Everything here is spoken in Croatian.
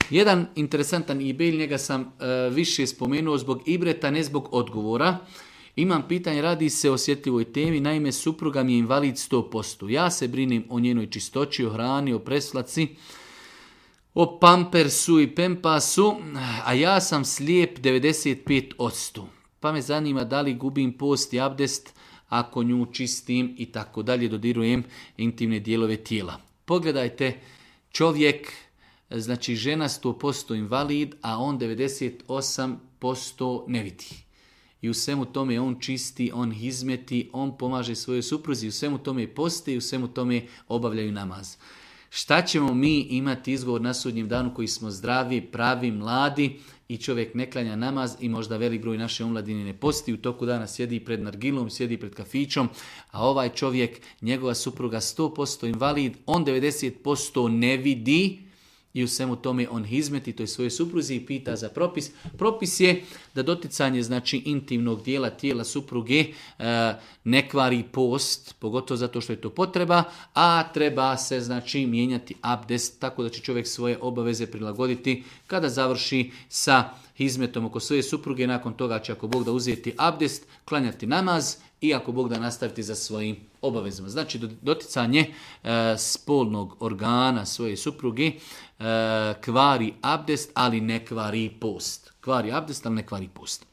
Jedan interesantan e-mail, njega sam više spomenuo zbog ibreta, ne zbog odgovora. Imam pitanje, radi se o osjetljivoj temi, naime supruga mi je invalid 100%. Ja se brinem o njenoj čistoći, o hrani, o preslaci, o pampersu i pempasu, a ja sam slijep 95%. Pa me zanima da li gubim post i abdest ako nju čistim i tako dalje, dodirujem intimne dijelove tijela. Pogledajte, čovjek, znači žena 100% invalid, a on 98% ne vidi. I u svemu tome on čisti, on hizmeti, on pomaže svojoj supruzi, u svemu tome poste i u svemu tome obavljaju namaz. Šta ćemo mi imati izgovor na sudnjem danu koji smo zdravi, pravi, mladi i čovjek ne klanja namaz i možda velik broj naše omladine ne posti, u toku dana sjedi pred nargilom, sjedi pred kafićom, a ovaj čovjek, njegova supruga 100% invalid, on 90% ne vidi i u svemu tome on hizmeti toj svojoj supruzi i pita za propis. Propis je da doticanje znači intimnog dijela tijela supruge ne kvari post, pogotovo zato što je to potreba, a treba se znači mijenjati abdest, tako da će čovjek svoje obaveze prilagoditi kada završi sa hizmetom oko svoje supruge. Nakon toga će, ako Bog da, uzeti abdest, klanjati namaz i ako Bog da, nastaviti za svojim obavezama. Znači doticanje spolnog organa svoje supruge kvari abdest, ali ne kvari post. Kvari abdest, ali ne kvari post.